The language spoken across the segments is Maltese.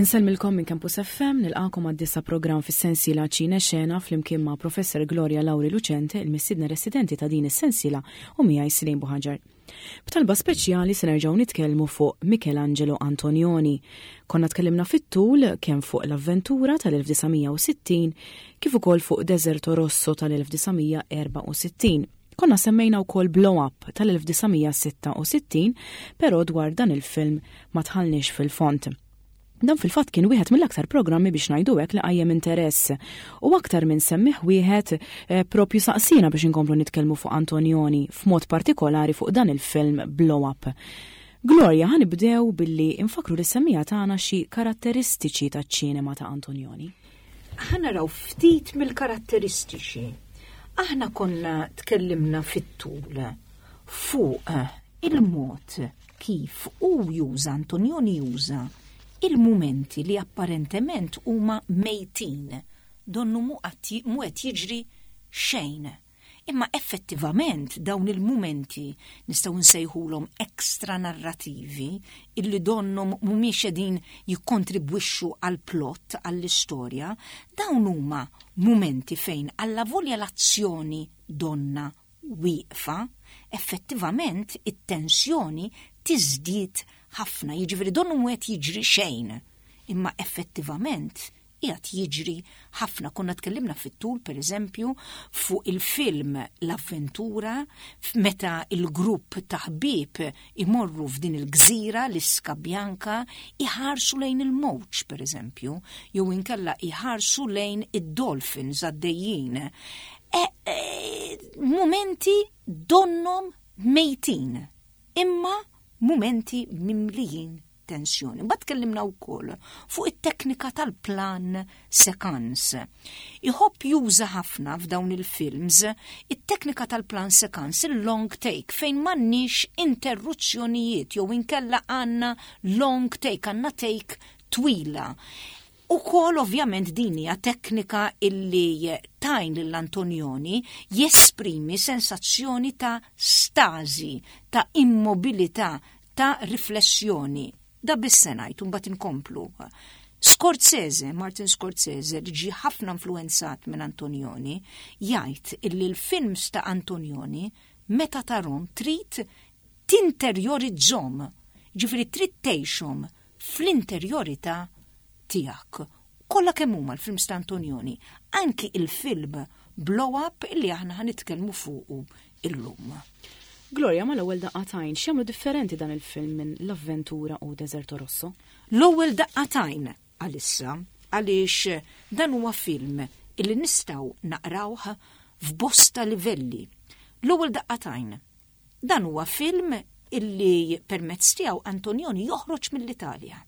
Insellmilkom minn Campus FM, nilqakom għad-disa programm fis-sensiela Ċine Xena flimkien ma' Professor Gloria Lauri Lucente, il-missiedna residenti ta' din is-sensiela u miegħi Slim Buħaġar. B'talba speċjali se nerġgħu nitkellmu fuq Michelangelo Antonioni. Konna tkellimna fit-tul kemm fuq l-avventura tal-1960 kif ukoll fuq Deserto Rosso tal-1964. Konna semmejna wkoll Blow Up tal-1966, però dwar dan il-film ma tħallniex fil-font. Dan fil-fatt kien wieħed mill-aktar programmi biex ngħidu hekk li qajjem interess u aktar minn semmih wieħed eh, propju saqsina biex inkomplu nitkellmu fuq Antonioni f'mod partikolari fuq dan il-film Blow Up. Gloria, ħanibdew billi infakru li semmija tagħna xi karatteristiċi taċ-ċinema ta' Antonioni. Ħa naraw ftit mill-karatteristiċi. Aħna konna tkellimna fit-tul fuq il-mod kif hu juża Antonioni juża il-mumenti li apparentement huma mejtin, donnu mu qed jiġri xejn. Imma effettivament dawn il-mumenti nistgħu nsejħulhom extra narrativi illi donnhom mhumiex qegħdin jikkontribwixxu għall-plot, għall-istorja, dawn huma mumenti fejn allavolja l-azzjoni donnha wieqfa, effettivament it-tensjoni tiżdied ħafna, jiġifieri donnu mhu qed jiġri xejn, imma effettivament qiegħed jiġri ħafna. Konna tkellimna fit-tul pereżempju fuq il-film L-Avventura meta il-grupp ta' ħbieb imorru f'din il-gżira l-Iska Bianca iħarsu lejn il-mowġ pereżempju, jew inkella iħarsu lejn id-dolphins għaddejjin. E, e, mumenti donnom mejtin, imma mumenti mimlijin tensjoni. Mbagħad tkellimna wkoll fuq it-teknika tal-plan sekans. Iħobb juża ħafna f'dawn il-films it-teknika tal-plan sekans, il-long take, fejn m'għandniex interruzzjonijiet jew inkella għandna long take, għandna take twila. Ukoll ovvjament din hija teknika illi tajn lil Antonioni jesprimi sensazzjoni ta' stażi, ta' immobilità, ta' riflessjoni. Da biss se ngħid u mbagħad inkomplu. Scorsese, Martin Scorsese, li ġie ħafna influenzat minn Antonioni, jgħid illi l-films ta' Antonioni meta tarhom trid tinterjorizzhom, ġifieri trid tgħixhom fl-interjorità tiegħek. Kollha kemm huma l-films ta' Antonioni, anki il-film Blow Up illi aħna ħa nitkellmu fuqu illum. Gloria, ma l-ewwel daqqa t'għajn, x'jagħmlu differenti dan il-film minn L-Avventura u Deserto Rosso? L-ewwel daqqa t'għajn għalissa, għaliex dan huwa film illi nistgħu naqrawh f'bosta livelli. L-ewwel daqqa t'għajn. Dan huwa film illi permezz tiegħu Antonioni joħroġ mill-Italja.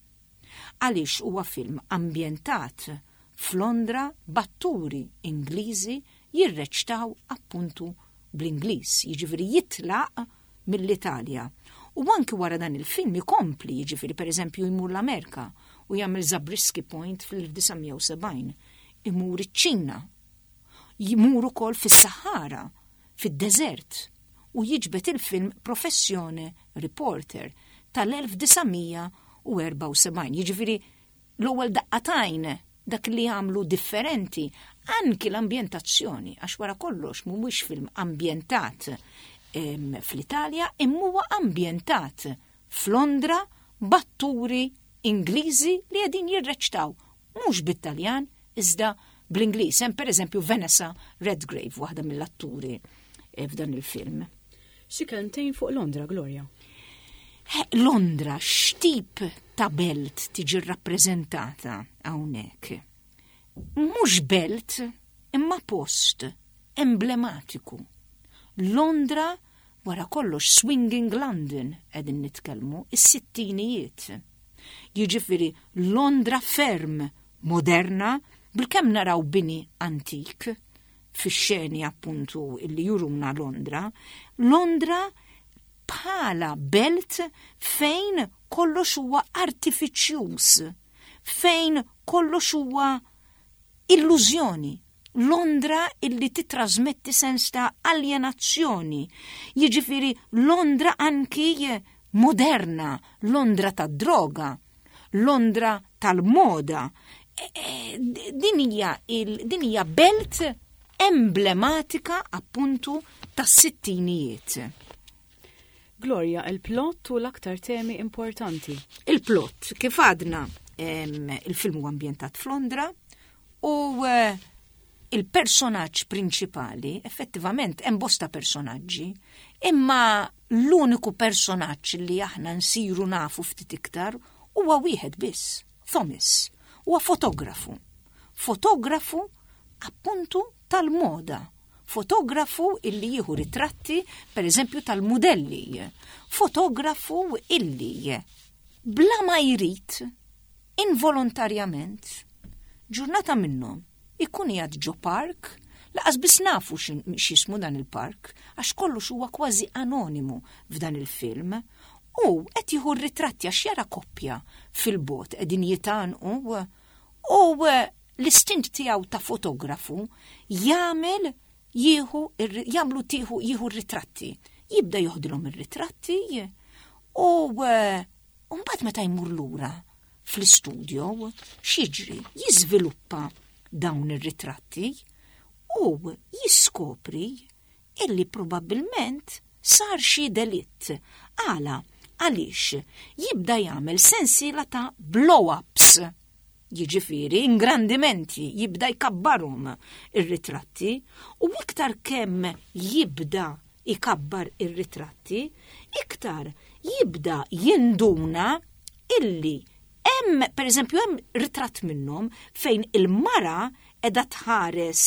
Għaliex huwa film ambjentat f'Londra b'atturi Ingliżi jirreċtaw appuntu bl-Ingliż, jiġifieri jitlaq mill-Italja. U anki wara dan il-film ikompli, jiġifieri pereżempju jmur l-Amerika u jagħmel Zabriskie Point fl-1970, imur iċ-Ċina, jmur ukoll fis-Sahara, fid-deżert u jiġbed il-film Professjone Reporter tal-1974. Jiġifieri l-ewwel daqqa t'għajn dak li għamlu differenti anki l-ambjentazzjoni għax wara kollox mhuwiex film ambjentat fl-Italja imma huwa ambjentat f'Londra b'atturi Ingliżi li qegħdin jirreċtaw mhux bit-Taljan iżda bl-Ingliż. Hemm pereżempju Vanessa Redgrave, waħda mill-atturi eh, f'dan il-film. Xi kelmtejn fuq Londra, Gloria? Londra, x'tip ta' belt tiġi rrappreżentata hawnhekk? Mhux belt, imma post emblematiku. Londra wara kollox Swinging London qegħdin nitkellmu, is-sittinijiet. Jiġifieri Londra ferm moderna bilkemm naraw bini antik fix-xeni appuntu illi juruna Londra. Londra bħala belt fejn kollox huwa artifiċjuż, fejn kollox huwa illużjoni. Londra illi titrasmetti sens ta' aljenazzjoni. Jiġifieri Londra anki moderna, Londra tad-droga. Londra tal-moda. E, e, din hija din hija belt emblematika appuntu tas-sittinijiet. Gloria, il-plot u l-aktar temi importanti. Il-plot, kif għadna, il-film huwa ambjentat f'Londra u eh, il-personaġġ prinċipali, effettivament hemm bosta personaġġi, imma l-uniku personaġġ li aħna nsiru nafu ftit iktar huwa wieħed biss, Thomas. Huwa fotografu. Fotografu appuntu tal-moda. Fotografu illi jieħu ritratti, per eżempju, tal-mudelli. Fotografu illi bla ma jrid involontarjament ġurnata minnhom ikun qiegħed ġo park, laqas biss nafu x'jismu dan il-park, għax kollox huwa kważi anonimu f'dan il-film, u qed jieħu r-ritratti għax jara koppja fil-bot qegħdin jitgħanqu u l-istint tiegħu ta' fotografu jagħmel jieħu jagħmlu tieħu jieħu r-ritratti. Jibda joħdilhom ir-ritratti u mbagħad meta jmur lura fl-istudio x'jiġri? Jiżviluppa dawn ir-ritratti u jiskopri illi probabbilment sar xi delitt. Għala? Għaliex jibda jagħmel sensiela ta' blow-ups. Jiġifieri ingrandimenti, jibda jkabbarhom ir-ritratti u iktar kemm jibda jkabbar ir-ritratti, iktar jibda jinduna illi hemm, per eżempju, hemm ritratt minnhom fejn il-mara qiegħda tħares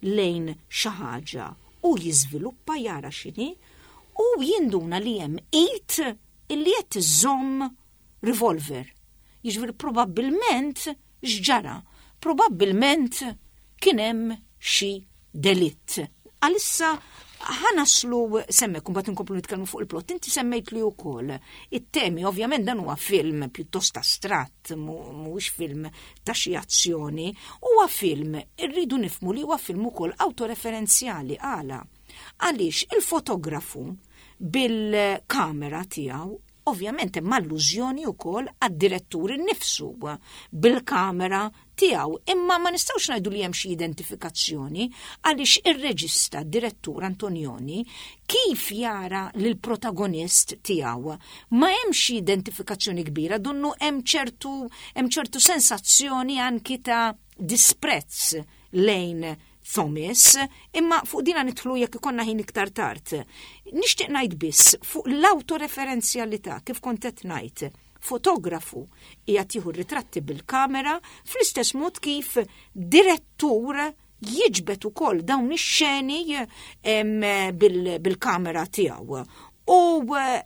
lejn xi ħaġa u jiżviluppa jara x'inhi u jinduna li hemm id illi qed iżżomm revolver. Jiġifieri probabbilment x'ġara? Probabbilment kien hemm xi delitt. Għalissa ħa naslu semmek, mbagħad inkomplu nitkellmu fuq il-plot. Inti semmejt li wkoll it-temi, ovvjament dan huwa film pjuttost astratt, mhuwiex film ta' xi azzjoni, huwa film irridu nifmu li huwa film ukoll awtoreferenzjali għala. Għaliex il-fotografu bil-kamera tiegħu Ovvjament hemm allużjoni wkoll għad-direttur innifsu bil-kamera tiegħu, imma ma nistgħux ngħidu li hemm xi identifikazzjoni għaliex ir-reġista direttur Antonioni kif jara lill-protagonist tiegħu ma hemmx xi identifikazzjoni kbira, donnu hemm ċertu hemm ċertu sensazzjoni anki ta' disprezz lejn Thomas, imma fuq dina nidħlu jekk ikonna ħin iktar tard. Nixtieq ngħid biss fuq l-awtoreferenzjalità kif kont qed ngħid. Fotografu qiegħed jieħu ritratti bil-kamera fl-istess mod kif direttur jiġbed ukoll dawn ix-xeni bil-kamera tiegħu. U eh,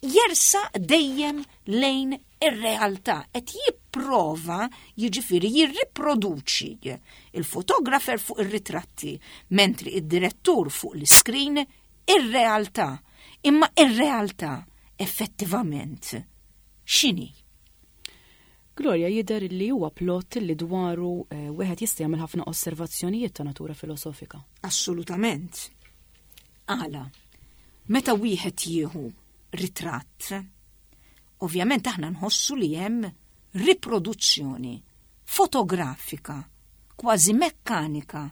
jersaq dejjem lejn ir-realtà, qed jipprova jiġifieri jirriproduċi il-fotografer fuq ir-ritratti, mentri id-direttur fuq l-iskrin ir-realtà. Imma ir-realtà effettivament x'inhi? Gloria jidher li huwa plot li dwaru eh, wieħed jista' jagħmel ħafna osservazzjonijiet ta' natura filosofika. Assolutament. Għala, meta wieħed jieħu ritratt, Ovvjament aħna nħossu li hemm riproduzzjoni fotografika, kważi mekkanika,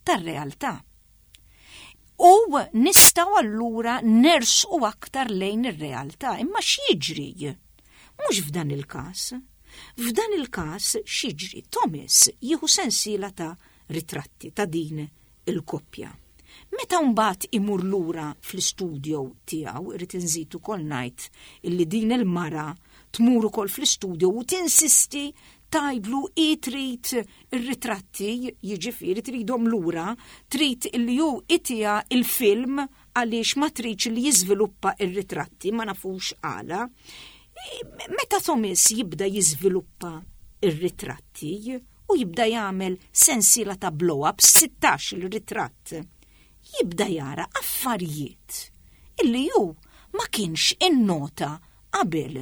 tar-realtà. U nistgħu allura nersqu aktar lejn ir-realtà, imma x'jiġri? Mhux f'dan il-każ. F'dan il-każ x'jiġri? Thomas jieħu sensiela ta' ritratti ta' din il-koppja. Meta mbagħad imur lura fl-istudio tiegħu, irrid inżid ukoll ngħid illi din il-mara tmur ukoll fl-istudio u tinsisti tgħidlu hi trid ir-ritratti, jiġifieri tridhom lura, trid illi hu itiha il-film għaliex ma tridx li jiżviluppa ir-ritratti, ma nafux għala. Meta Thomas jibda jiżviluppa ir-ritratti, u jibda jagħmel sensiela ta' blow-ups, 16 il ritratt. Jibda jara affarijiet illi hu ma kienx innota qabel.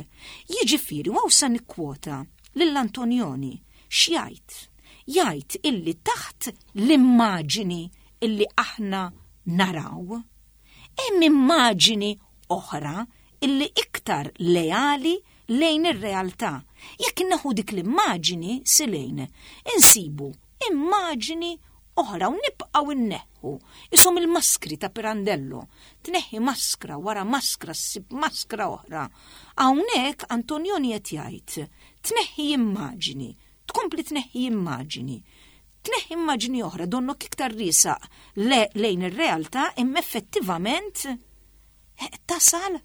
Jiġifieri u sa nikkwota lil Antonioni x'jgħid? Jgħid illi taħt l-immaġini illi aħna naraw, hemm immaġini oħra illi iktar leali lejn ir-realtà. Jekk inneħħu dik l-immaġini, Silejn, insibu immaġini oħra u nibqgħu nneħħu. Ishom il-maskri ta' Pirandello. Tneħħi maskra wara maskra ssib maskra oħra. Hawnhekk Antonioni qed jgħid, tneħħi immaġini, tkompli tneħħi immaġini. Tneħħi immaġini oħra donnok iktar riesaq lejn ir-realtà imma effettivament eh, tasal eh,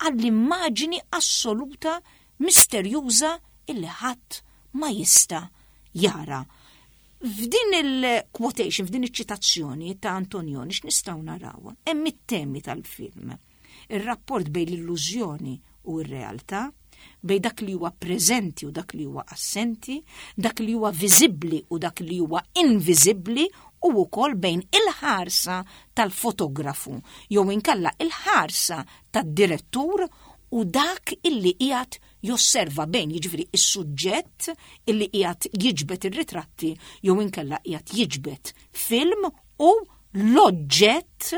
għall-immaġini assoluta misterjuża illi ħadd ma jista' jara. F'din il-quotation, f'din iċ-ċitazzjoni ta' Antonioni x'nistgħu naraw? Hemm it-temi tal-film. Ir-rapport bejn l-illużjoni u r-realtà, bejn dak li huwa preżenti u dak li huwa assenti, dak li huwa viżibbli u dak li huwa inviżibbli u wkoll bejn il-ħarsa tal-fotografu jew inkella il-ħarsa tad-direttur u dak illi qiegħed josserva bejn jiġifieri is-suġġett illi qiegħed jiġbed ir-ritratti jew inkella qiegħed jiġbed film u l-oġġett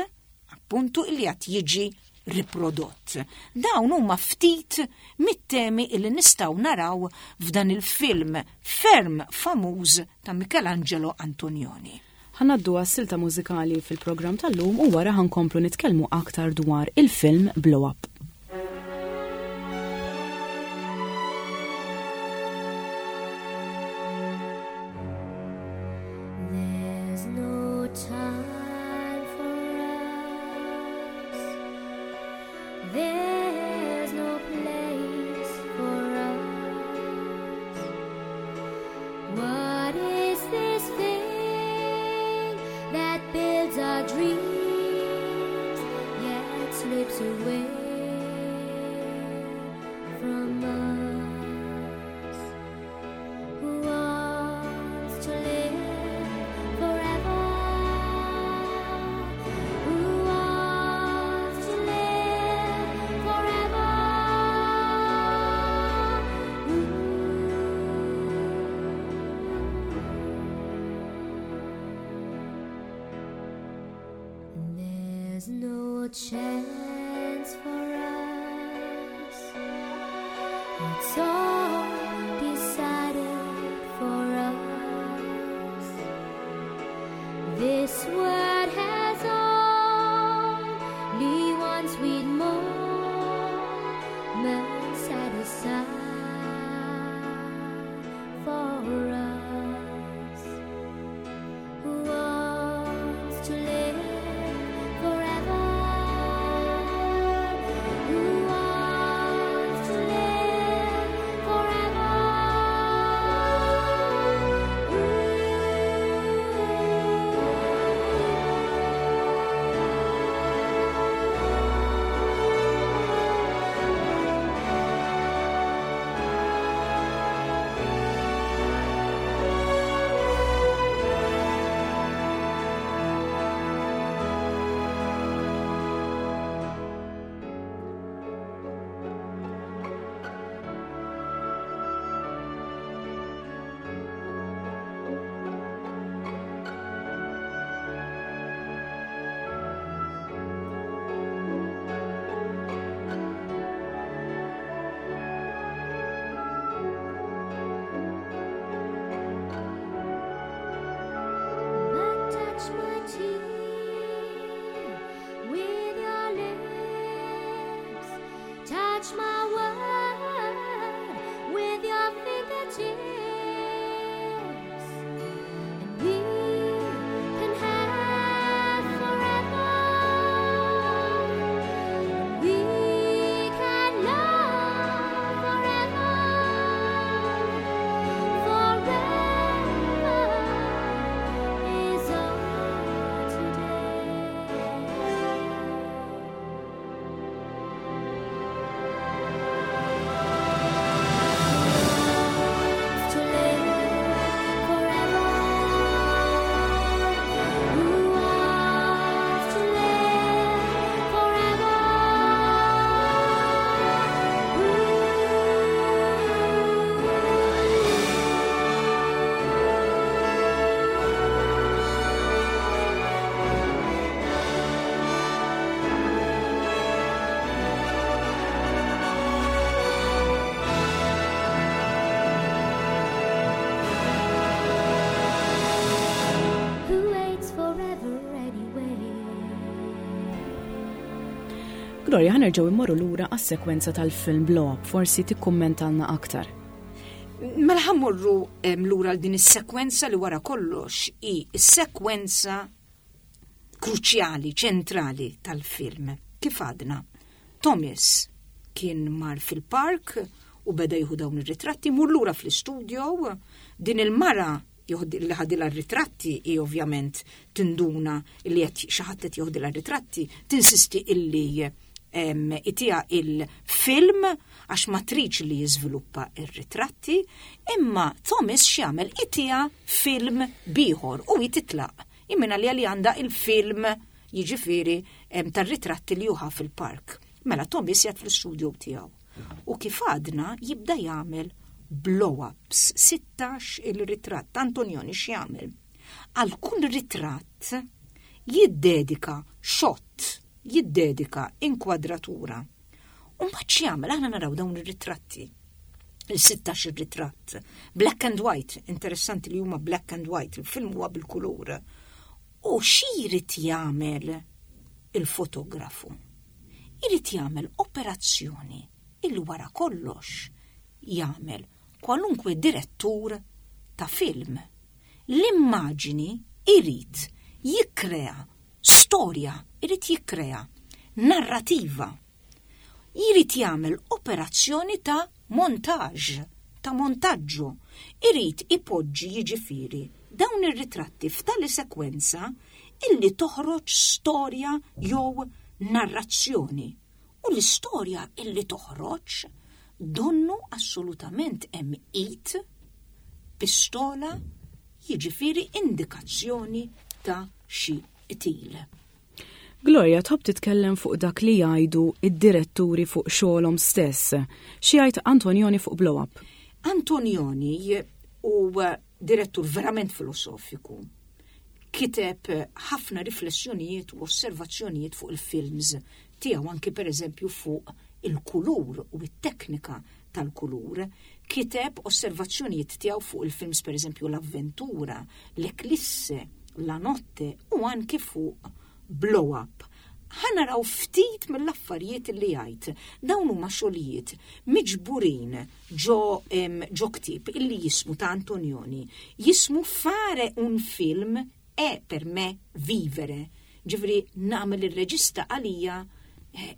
appuntu illi qed jiġi riprodott. Dawn huma ftit mit-temi illi nistgħu naraw f'dan il-film ferm famuż ta' Michelangelo Antonioni. Ħa ngħaddu għas-silta mużikali fil-programm tal-lum u wara ħa nkomplu nitkellmu aktar dwar il-film Blow Up. There's no time for us. There's no place for us. What is this thing that builds our dreams yet slips away from us? Who wants to live forever? Who wants to live forever? There's no chance for us. It's all decided for us. This world has only one sweet moment set aside for us. Who wants to live forever? Who wants to live forever? Gloria, ħa nerġgħu immorru lura għas-sekwenza tal-film Blow Up, forsi tikkummentalna aktar. Mela ħa mmorru lura għal din is-sekwenza li wara kollox hi s-sekwenza kruċjali, ċentrali tal-film. Kif għadna, Thomas kien mar fil-park u beda jieħu dawn ir-ritratti, mur lura fl-istudio, din il-mara li ħadilha r-ritratti hi ovvjament tinduna li qed xi ħadd qed joħdilha r-ritratti, tinsisti illi itiha il-film għax ma tridx li jiżviluppa ir-ritratti, imma Thomas x'jagħmel itiha film bieħor u hi titlaq. Imma li li għandha il-film jiġifieri tar-ritratti li juħa fil-park. Mela Thomas jgħid fl-istudio tiegħu. U kif għadna jibda jagħmel blow-ups, 16 il-ritratt. Antonioni x'jagħmel? Għal kull ritratt jiddedika shot, jiddedika inkwadratura. U mbagħad x'jagħmel? Aħna naraw dawn ir-ritratti. Il-16 ir-ritratt. Black and white, interessanti li huma black and white, il-film huwa bil-kulur. U xi jrid jagħmel il-fotografu? Irid jagħmel operazzjoni illi wara kollox jagħmel kwalunkwe direttur ta' film. L-immaġini irid jikkrea storja, irid jikkrea narrativa. Jrid jagħmel operazzjoni ta' montaġġ, ta' montaġġu. Irid ipoġġi jiġifieri dawn ir-ritratti f'tali sekwenza illi toħroġ storja jew narrazzjoni. U l-istorja illi toħroġ donnu assolutament hemm id, pistola, jiġifieri indikazzjoni ta' xi qtil. Gloria, tħobb titkellem fuq dak li jgħidu id-diretturi fuq xogħolhom stess. Xi jgħid Antonioni fuq Blow Up? Antonioni huwa direttur verament filosofiku. Kiteb ħafna riflessjonijiet u osservazzjonijiet fuq il-films tiegħu anki pereżempju fuq il-kulur u t-teknika tal-kulur. Kiteb osservazzjonijiet tiegħu fuq il-films pereżempju L-Avventura, L-Eclisse, La Notte u anki fuq Blow Up. Ħa naraw ftit mill-affarijiet li jgħid. Dawn huma xogħlijiet miġburin ġo ġo ktieb illi jismu ta' Antonioni, jismu Fare un film è per me vivere. Ġifieri nagħmel ir-reġista għalija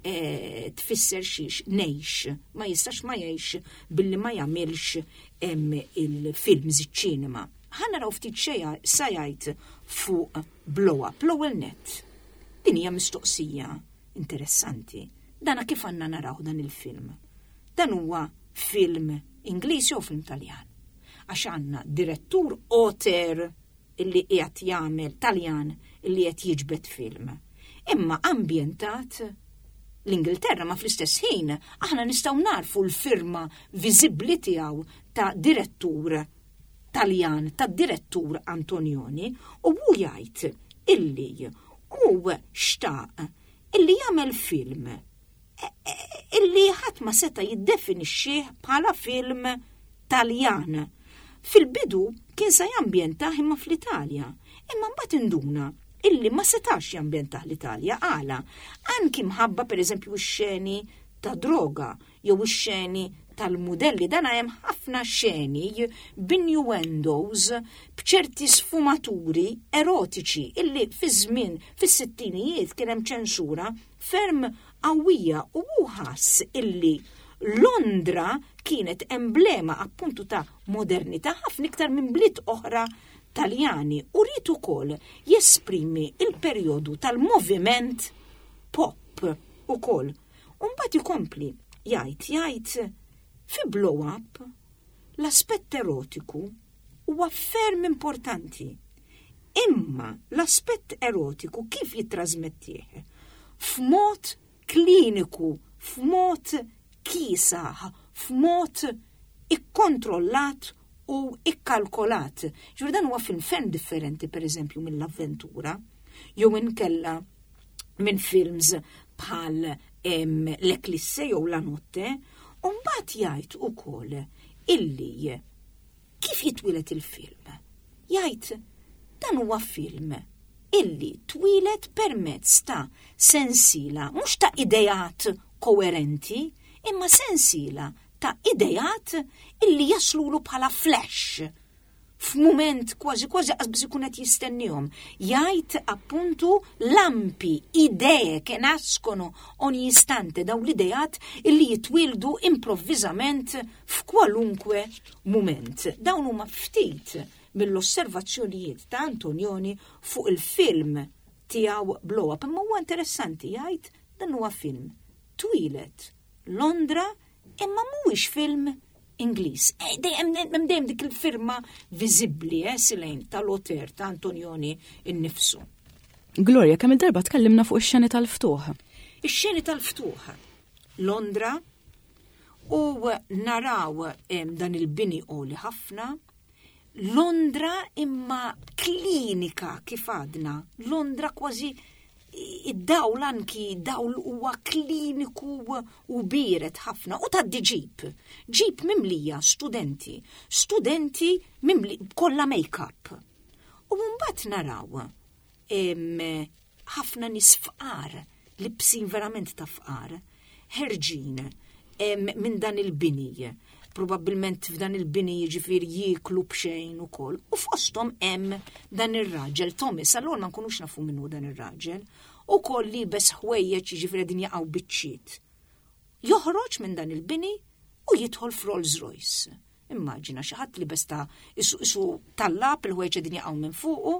eh, tfisser xiex ngħix, ma jistax ma jgħix billi ma jagħmilx il-films iċ-ċinema. Ħa naraw ftit xejn sa jgħid fuq Blow Up, l-ewwel nett. Din hija mistoqsija interessanti. Dana kif għandna naraw dan il-film? Dan huwa film Ingliż jew film Taljan? Għax għandna direttur auteur illi qiegħed jagħmel Taljan illi qed jiġbed film. Imma ambjentat l-Ingilterra ma fl-istess ħin aħna nistgħu narfu l-firma viżibbli tiegħu ta' direttur Taljan, ta' direttur Antonioni u hu jgħid illi hu xtaq illi jagħmel film illi ħadd ma seta' jiddefinixxih bħala film Taljan. Fil-bidu kien se jambjentah imma fl-Italja, imma mbagħad induna illi ma setax jambjentah l-Italja għala anki mħabba pereżempju x-xeni ta' droga jew ix-xeni tal-mudelli dan hemm ħafna xeni b'innuendos b'ċerti sfumaturi erotiċi illi fi żmien fis-sittinijiet kien hemm ċensura ferm qawwija u hu ħass illi Londra kienet emblema appuntu ta' modernità ħafna iktar minn bliet oħra Taljani u ried ukoll jesprimi il-perjodu tal-moviment pop ukoll. U mbagħad ikompli jgħid jgħid fi Blow Up l-aspett erotiku huwa ferm importanti. Imma l-aspett erotiku kif jittrażmettih? F'mod kliniku, f'mod kiesaħ, f'mod ikkontrollat u ikkalkolat. Ġifieri dan huwa film ferm differenti pereżempju mill-avventura jew inkella minn films bħal L-Eclisse jew La Notte, u mbagħad jgħid ukoll illi kif jitwieled il-film. Jgħid dan huwa film. illi twieled permezz ta' sensiela mhux ta' ideat koerenti, imma sensiela ta' ideat illi jaslulu bħala flash f'mument kważi kważi qas ikun qed jistennihom. Jgħid appuntu lampi, idee che nascono ogni istante, dawn l-ideat illi jitwieldu improvviżament f'kwalunkwe mument. Dawn huma ftit mill-osservazzjonijiet ta' Antonioni fuq il-film tiegħu Blow Up. Imma huwa interessanti jgħid dan huwa film twieled Londra imma mhuwiex film Ingliż. Eh, dejjem hemm dejjem dik il-firma viżibbli eh, Silejn tal-oter ta' Antonioni innifsu. Gloria, kemm il-darba tkellimna fuq ix-xeni tal-ftuħ? Ix-xeni tal-ftuħ. Londra u naraw dan il-bini għoli ħafna Londra imma klinika kif għadna, Londra kważi id-dawl anki dawl huwa kliniku u biret ħafna u tgħaddi ġip. Ġip mimlija studenti, studenti mimli kollha make-up. U mbagħad naraw ħafna nies fqar, libsin verament ta' fqar, ħerġin minn dan il-bini. Probabbilment f'dan il-bini jiġifieri jieklu b'xejn ukoll. U fosthom hemm dan ir-raġel Thomas, allura ma nkunux nafu min hu dan ir-raġel, ukoll liebes ħwejjeġ jiġifieri din jaqgħu biċċiet. Joħroġ minn dan il-bini u jidħol f'Rolls Royce. Immaġina xi ħadd libes ta' isu isu tallab il-ħwejjeġ qegħdin jaqgħu minn fuqu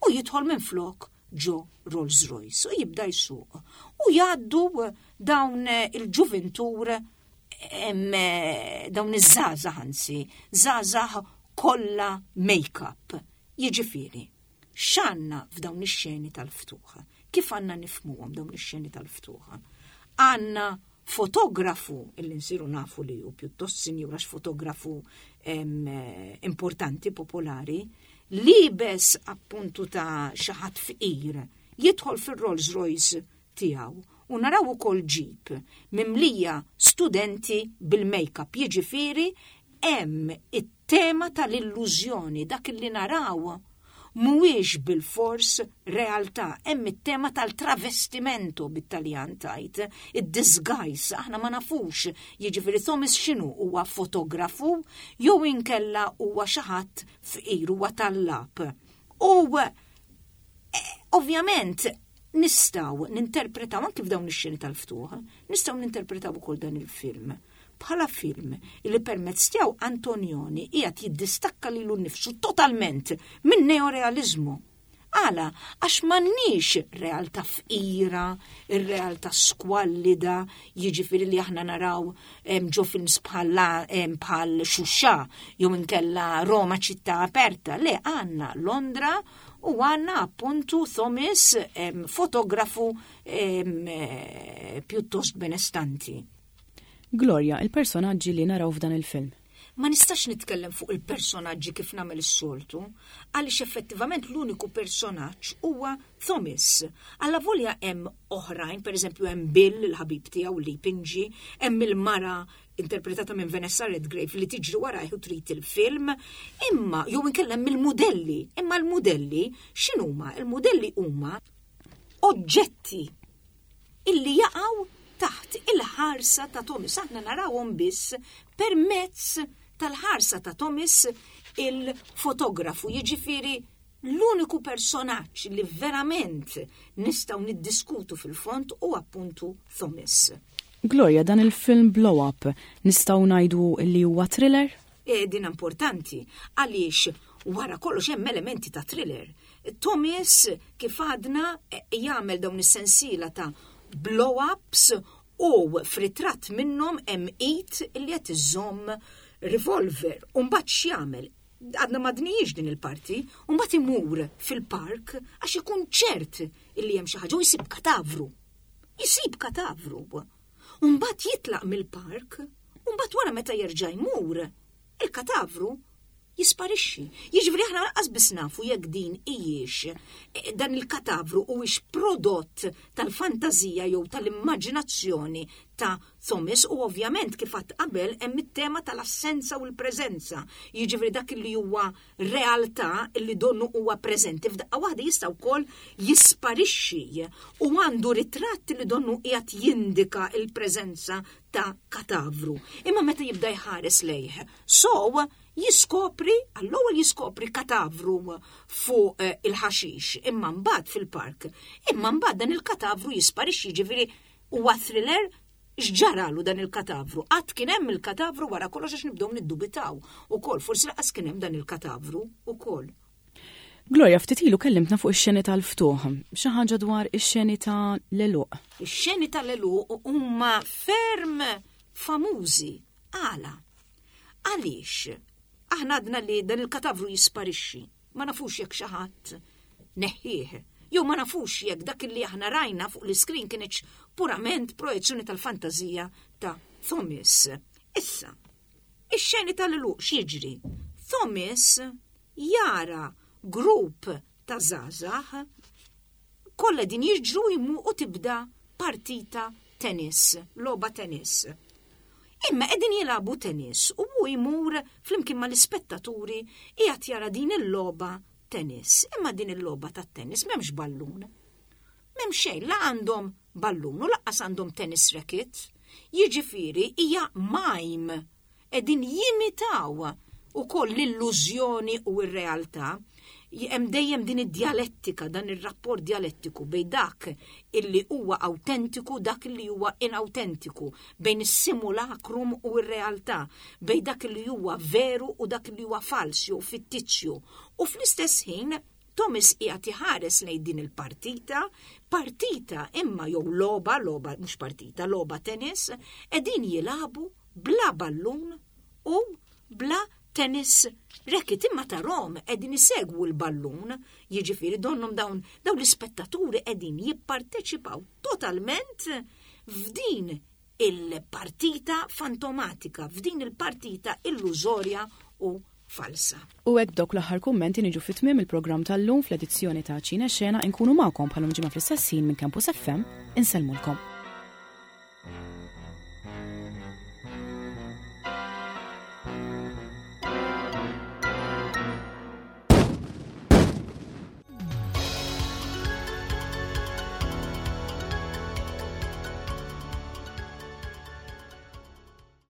u jidħol minn flok ġo Rolls Royce u jibda jsuq. U jgħaddu dawn il-ġuvintur dawn iż-żgħażagħ anzi, żgħażagħ kollha make-up. Jiġifieri, x'għandna f'dawn ix-xeni tal-ftuħ? Kif għandna nifhmuhom dawn ix-xeni tal-ftuħ? Għandna fotografu illi nsiru nafu li hu pjuttost sinjur għax fotografu importanti, popolari, libes appuntu ta' xi ħadd fqir, jidħol fir-Rolls Royce tiegħu u naraw ukoll ġip mimlija studenti bil-make-up, jiġifieri hemm it-tema tal-illużjoni, dak li naraw mhuwiex bilfors realtà, hemm it-tema tal-travestimento bit-Taljan tajt, id-disguise, aħna ma nafux, jiġifieri Thomas x'inhu huwa fotografu jew inkella huwa xi ħadd fqir huwa tallab. U eh, ovvjament nistgħu ninterpretaw anki f'dawn ix-xeni tal-ftuħ, nistgħu ninterpretaw ukoll dan il-film bħala film li permezz tiegħu Antonioni qiegħed jiddistakka lilu nnifsu totalment minn neorealiżmu. Għala, għax m'għandniex realtà fqira, ir-realtà skwallida, jiġifieri li aħna naraw ġo films bħal Xuxa jew inkella Roma ċittà aperta. Le, għandna Londra u għandna appuntu Thomas fotografu eh, pjuttost benestanti. Gloria, il-personaġġi li naraw f'dan il-film. Ma nistax nitkellem fuq il-personaġġi kif nagħmel is-soltu, għaliex effettivament l-uniku personaġġ huwa Thomas. Allavolja hemm oħrajn, pereżempju hemm Bill, il-ħabib tiegħu li jpinġi, hemm il-mara interpretata minn Vanessa Redgrave li tiġri warajh u trid il-film, imma jew inkella hemm il-mudelli, imma l-mudelli x'inhuma? Il-mudelli huma oġġetti illi jaqgħu taħt il-ħarsa ta' Thomas. Aħna narawhom biss permezz tal-ħarsa ta' Thomas il-fotografu, jiġifieri l-uniku personaġġ li verament nistgħu niddiskutu fil-fond hu appuntu Thomas. Gloria, dan il-film Blow Up nistgħu ngħidu li huwa thriller? E, din importanti għaliex wara kollox hemm elementi ta' thriller. Thomas kif għadna e, jagħmel dawn is-sensiela ta' blow-ups u f'ritratt minnhom hemm id li qed iżomm revolver. U mbagħad x'jagħmel? Għadna ma dnijiex din il-parti, u mbagħad imur fil-park għax ikun ċert illi hemm xi ħaġa u jsib katavru. Jsib katavru. U mbagħad jitlaq mill-park, u mbagħad wara meta jerġa' jmur, il-katavru. Jisparixxi. Jiġifieri aħna lanqas biss nafu jekk din hijiex eh, dan il-katavru huwiex prodott tal-fantażija jew tal-immaġinazzjoni ta' Thomas u ovvjament kif għadt qabel hemm it-tema tal-assenza u l-preżenza. Jiġifieri dak li huwa realtà li donnu huwa preżenti f'daqqa waħda jista' wkoll jisparixxi u għandu ritratt li donnu qiegħed jindika l-preżenza ta' katavru. Imma meta jibda jħares lejh, so jiskopri, għall-ewwel jiskopri katavru fuq eh, il-ħaxix, imma mbagħad fil-park. Imma mbagħad dan il-katavru jisparixxi, jiġifieri huwa thriller x'ġaralu dan il-katavru? Qatt kien hemm il-katavru wara kollox għax nibdew niddubitaw ukoll, forsi laqas kien hemm dan il-katavru ukoll. Gloria, ftit ilu kellimtna fuq ix-xeni tal-ftuħ. Xi ħaġa dwar ix-xeni ta' l-għeluq. Ix-xeni tal-għeluq huma ferm famużi. Għala? Għaliex? Aħna għadna li dan il-katavru jisparixxi. Ma nafux jekk xi ħadd neħħih. Jew ma nafux jekk dak li aħna rajna fuq l-iskrin kienx purament projezzjoni tal-fantażija ta' Thomas. Issa, ix-xeni tal-għeluq x'jiġri? Thomas jara grupp ta' żgħażagħ kollha din jiġru jmu u tibda partita tennis, logħba tennis. Imma qegħdin jilagħbu tennis u hu jmur flimkien mal-ispettaturi qiegħed jara din il-logħba tennis. Imma din il-logħba tat-tennis m'hemmx ballun. M'hemm xejn, la għandhom ballun u laqqas għandhom tennis racket. Jiġifieri hija mime qegħdin jimitaw ukoll l-illużjoni u r-realtà, hemm dejjem din id-djalettika, dan ir-rapport djalettiku bejn dak illi huwa awtentiku dak illi huwa inawtentiku, bejn is-simulacrum u r-realtà, bejn dak illi huwa veru u dak illi huwa fals jew fittizju. U fl-istess ħin Thomas qiegħed iħares lejn din il-partita, partita imma jew logħba, logħba mhux partita, logħba tennis, qegħdin jilagħbu bla ballun u bla tennis racket imma tarhom qegħdin isegwu l-ballun, jiġifieri donnhom dawn dawn l-ispettaturi qegħdin jipparteċipaw totalment f'din il-partita fantomatika, f'din il-partita illużorja u falsa. U hekk b'dawk l-aħħar kummenti niġu fi tmiem il-programm tal-lum fl-edizzjoni ta' Ċine Xena inkunu magħkom bħal ġimgħa fl-istess ħin minn Campus FM insellmulkom.